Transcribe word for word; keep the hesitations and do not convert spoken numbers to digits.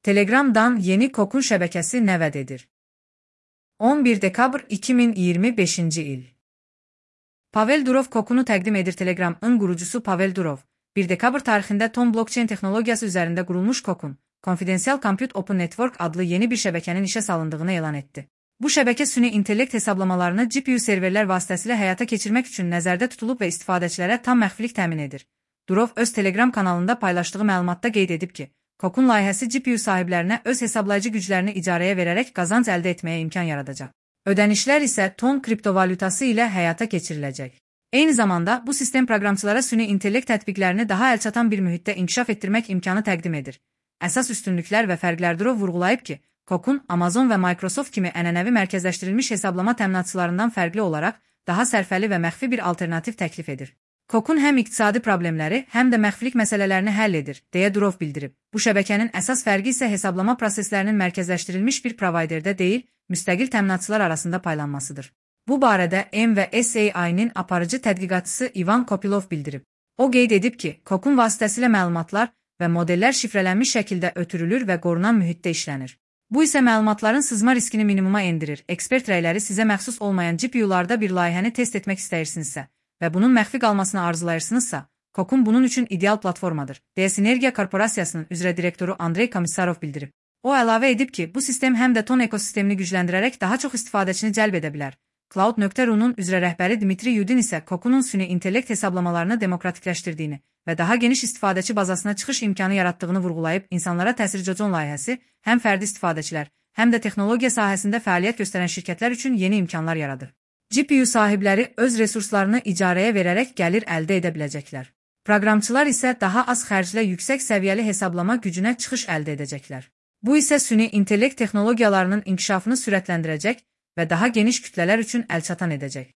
Telegram'dan yeni Kokun şəbəkəsi nə vəd edir? on bir dekabr iki min iyirmi beşinci il. Pavel Durov Kokunu təqdim edir. Telegram'ın qurucusu Pavel Durov, bir dekabr tarixində Ton blockchain texnologiyası üzərində qurulmuş Kokun, Confidential Compute Open Network adlı yeni bir şəbəkənin işə salındığını elan etdi. Bu şəbəkə süni intellekt hesablamalarını G P U serverlər vasitəsilə həyata keçirmək üçün nəzərdə tutulub və istifadəçilərə tam məxfilik təmin edir. Durov öz Telegram kanalında paylaşdığı məlumatda qeyd edib ki, Kokun layihəsi G P U sahiblərinə öz hesablayıcı güclərini icarəyə verərək qazanc əldə etməyə imkan yaradacaq. Ödənişlər isə Ton kriptovalyutası ilə həyata keçiriləcək. Eyni zamanda bu sistem proqramçılara süni intellekt tətbiqlərini daha əlçatan bir mühitdə inkişaf etdirmək imkanı təqdim edir. Əsas üstünlüklər və fərqlər Durov vurğulayıb ki, Kokun Amazon və Microsoft kimi ənənəvi mərkəzləşdirilmiş hesablama təminatçılarından fərqli olaraq daha sərfəli və məxfi bir alternativ təklif edir. Kokun həm iqtisadi problemləri, həm də məxfilik məsələlərini həll edir, deyə Durov bildirib. Bu şəbəkənin əsas fərqi isə hesablama proseslərinin mərkəzləşdirilmiş bir provayderdə deyil, müstəqil təminatçılar arasında paylanmasıdır. Bu barədə M və S A I-nin aparıcı tədqiqatçısı Ivan Kopilov bildirib. O qeyd edib ki, Kokun vasitəsilə məlumatlar və modellər şifrələnmiş şəkildə ötürülür və qorunan mühitdə işlənir. Bu isə məlumatların sızma riskini minimuma endirir. Ekspert rəyləri sizə məxsus olmayan G P U-larda bir layihəni test etmək istəyirsinizsə və bunun məxfi qalmasını arzulayırsınızsa, Kokun bunun üçün ideal platformadır, deyə Sinergia Korporasiyasının üzrə direktoru Andrey Komissarov bildirib. O əlavə edib ki, bu sistem həm də Ton ekosistemini gücləndirərək daha çox istifadəçini cəlb edə bilər. Cloud nöqtə ru-nun üzrə rəhbəri Dmitri Yudin isə Kokunun süni intellekt hesablamalarını demokratikləşdirdiyini və daha geniş istifadəçi bazasına çıxış imkanı yaratdığını vurğulayıb, insanlara təsir Jojon layihəsi həm fərdi istifadəçilər, həm də texnologiya sahəsində fəaliyyət göstərən şirkətlər üçün yeni imkanlar yaradır. G P U sahibləri öz resurslarını icarəyə verərək gəlir əldə edə biləcəklər. Proqramçılar isə daha az xərclə yüksək səviyyəli hesablama gücünə çıxış əldə edəcəklər. Bu isə süni intellekt texnologiyalarının inkişafını sürətləndirəcək və daha geniş kütlələr üçün əlçatan edəcək.